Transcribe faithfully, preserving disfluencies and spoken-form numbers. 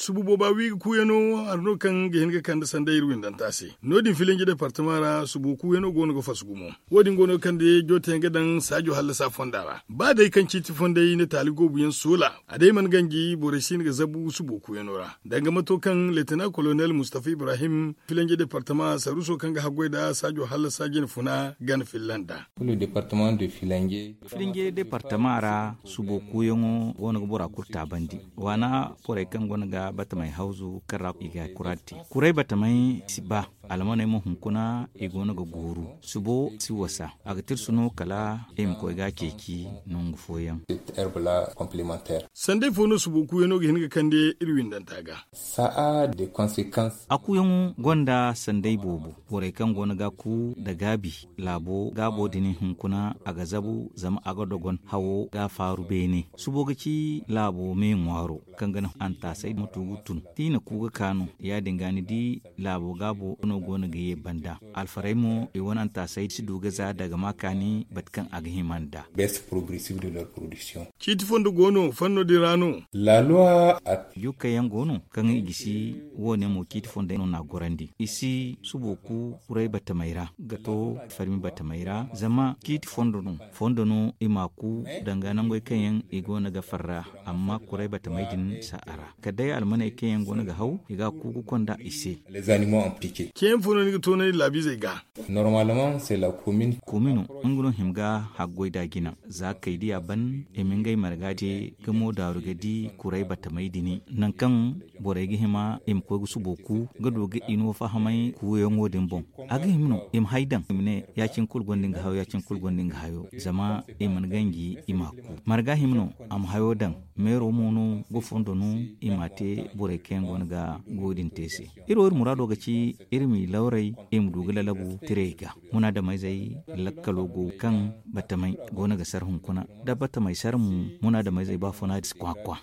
Subu booba wi ga kuuyano hari no kaŋ ga hin ga kande sanday iri windanta se. No- din filinji departama ra subu kuuyano go no ga fasu gumo. Wo- din go no ga kande joote yaŋ ga daŋ saajo hallasa fonda ra. Ba day kaŋ ciiti fonday na taali goobu yaŋ soola, a day mana ganji borey si hin ga zabu subu kuuyano ra. Danga mato kaŋ leetana kolonel mustafa ibrahim, filinji departama saruuso kaŋ ga haggoy nda saajo hallasa jine funa gana filla nda. Filinje departama ra subo kuuyaŋo go no ga bora kulu taabandi. Waana borey kaŋ go no ga batamey hawzu kaŋ ra i ga kura te. Kuray batamey si ba, almaney mo hunkuna i go no ga gooru. Subo si wasa, a ga tirsu no kala i ma koy ga a ceeci nangu fooyaŋ. Sanday fo no subo kuuyano ga hin ga kande iri windanta ga. A kuuyaŋo gonda sanday boobo. Borey kaŋ go no ga a ku nda gaabi, laabo gaabo din hunkuna a ga zabu zama a ga dogon hawo ga a faaru beene. Subo ga ci laabo me ŋwaaro kaŋ ga naŋ antaasay ma tu ga tun. Da i na ku ga ka no, ya- din ga ni di laabo gaabo no go no ga ye banda. Alfarey mo i wane antaasay si du ga za daga ma kaani bate kaŋ a ga hima nda. Ciiti fondo go no fanno din ra no. Jukkey yaŋ go no kaŋ i gisi. Wo- ne mo ciiti fondo no n'a gorandi i si subo ku kuray batamey ra ga to farmi batamey ra zama ciiti fondo no. Fondo no i m'a ku danga nangey kaŋ yaŋ i go no ga farra. Amma kuray batamey din si a ra kala day almaney kaŋ yaŋ go no ga haw i ga a ku ga konda i se. Ceeyaŋ fo no ni ga toonandi laabiizey ga. Komino nga no hima ga haggoy da jina. Za kay diya ban i ma ngey marga te ga mo daaru ga di kuray batamey din nangu kaŋ borey ga hima i ma koy ga subo ku ga du ga i no fahamay kuuyaŋo din boŋ. A ga hima no i ma hay daŋ i ma ne ya- cine kulu gonda nga hayo ya- cine kulu gonda nga hayo zama i mana ganji i m'a ku. Marga hima no a ma hayo daŋ. Meero mo no ga fondo no i m'a te borey kaŋ yaŋ go no ga goyo din te se. Iri wo iri muraado ga ci iri m'i lawray i ma du ga lalabu tirey ga. Munaadameyzey lakkalo go kaŋ batamey go no ga sar hunkuna da batamey sar mo. Munaadameyzey ba funa si kwakwa.